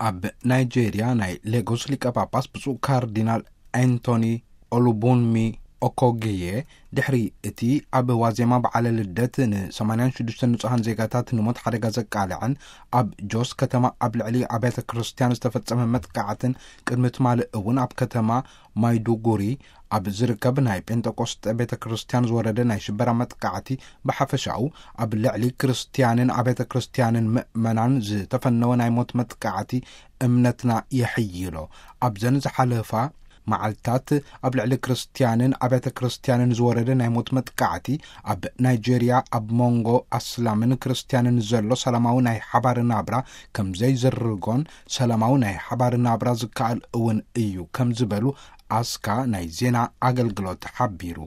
ኣብ ናይጄርያ ናይ ሌጎስ ሊቀ ጳጳስ ብፁዕ ካርዲናል ኣንቶኒ ኦሉቡንሚ ኦኮግዬ፣ ድሕሪ እቲ ኣብ ዋዜማ በዓለ ልደት ን86 ንጹሃን ዜጋታት ንሞት ሓደጋ ዘቃልዐን ኣብ ጆስ ከተማ ኣብ ልዕሊ ኣብያተ ክርስቲያን ዝተፈጸመ መጥቃዕትን፣ ቅድሚ ትማሊ እውን ኣብ ከተማ ማይዱጉሪ ኣብ ዝርከብ ናይ ጴንጠቆስጠ ቤተ ክርስቲያን ዝወረደ ናይ ሽበራ መጥቃዕቲ፣ ብሓፈሻኡ ኣብ ልዕሊ ክርስቲያንን ኣብያተ ክርስቲያንን ምእመናን ዝተፈነወ ናይ ሞት መጥቃዕቲ እምነትና የሕይሎ። ኣብዘን ዝሓለፋ መዓልታት ኣብ ልዕሊ ክርስቲያንን ኣብያተ ክርስቲያንን ዝወረደ ናይ ሞት መጥቃዕቲ፣ ኣብ ናይጄርያ ኣብ መንጎ ኣስላምን ክርስቲያንን ዘሎ ሰላማዊ ናይ ሓባር ናብራ ከም ዘይዝርጎን፣ ሰላማዊ ናይ ሓባር ናብራ ዝከኣል እውን እዩ ከም ዝበሉ ኣስካ ናይ ዜና ኣገልግሎት ሓቢሩ።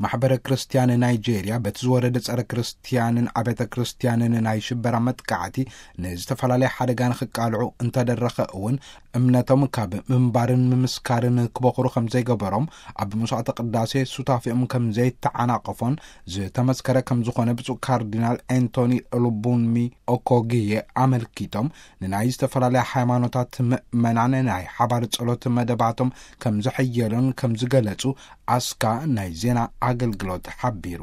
ማሕበረ ክርስቲያን ናይጄርያ በቲ ዝወረደ ጸረ ክርስቲያንን ኣብያተ ክርስቲያንን ናይ ሽበራ መጥቃዕቲ ንዝተፈላለየ ሓደጋ ንኽቃልዑ እንተደረኸ እውን፣ እምነቶም ካብ ምንባርን ምምስካርን ክበኹሩ ከም ዘይገበሮም፣ ኣብ መስዋዕተ ቅዳሴ ሱታፊኦም ከም ዘይተዓናቐፎን ዝተመስከረ ከም ዝኾነ ብፁዕ ካርዲናል ኣንቶኒ ሉቡንሚ ኦኮግየ ኣመልኪቶም፣ ንናይ ዝተፈላለያ ሃይማኖታት ምእመናን ናይ ሓባር ጸሎት መደባቶም ከም ዝሕየሎን ከም ዝገለጹ ኣስካ ናይ ዜና ኣገልግሎት ሓቢሩ።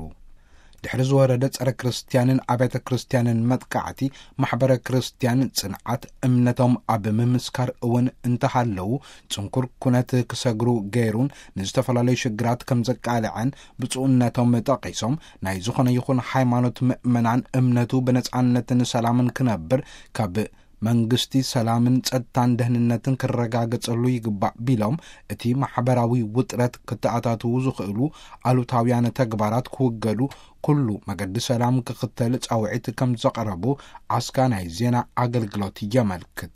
ድሕሪ ዝወረደ ጸረ ክርስቲያንን ኣብያተ ክርስቲያንን መጥቃዕቲ፣ ማሕበረ ክርስቲያን ጽንዓት እምነቶም ኣብ ምምስካር እውን እንተሃለዉ፣ ጽንኩር ኩነት ክሰግሩ ገይሩን ንዝተፈላለዩ ሽግራት ከም ዘቃልዐን ብፁዕነቶም ጠቒሶም፣ ናይ ዝኾነ ይኹን ሃይማኖት ምእመናን እምነቱ ብነጻነትን ሰላምን ክነብር፣ ካብ መንግስቲ ሰላምን ጸጥታን ደህንነትን ክረጋገጸሉ ይግባእ ቢሎም፣ እቲ ማሕበራዊ ውጥረት ክተኣታትዉ ዝኽእሉ ኣሉታውያን ተግባራት ክውገዱ ኩሉ መገዲ ሰላም ክኽተል ጻውዒት ከም ዘቕረቡ ኣስካ ናይ ዜና ኣገልግሎት የመልክት።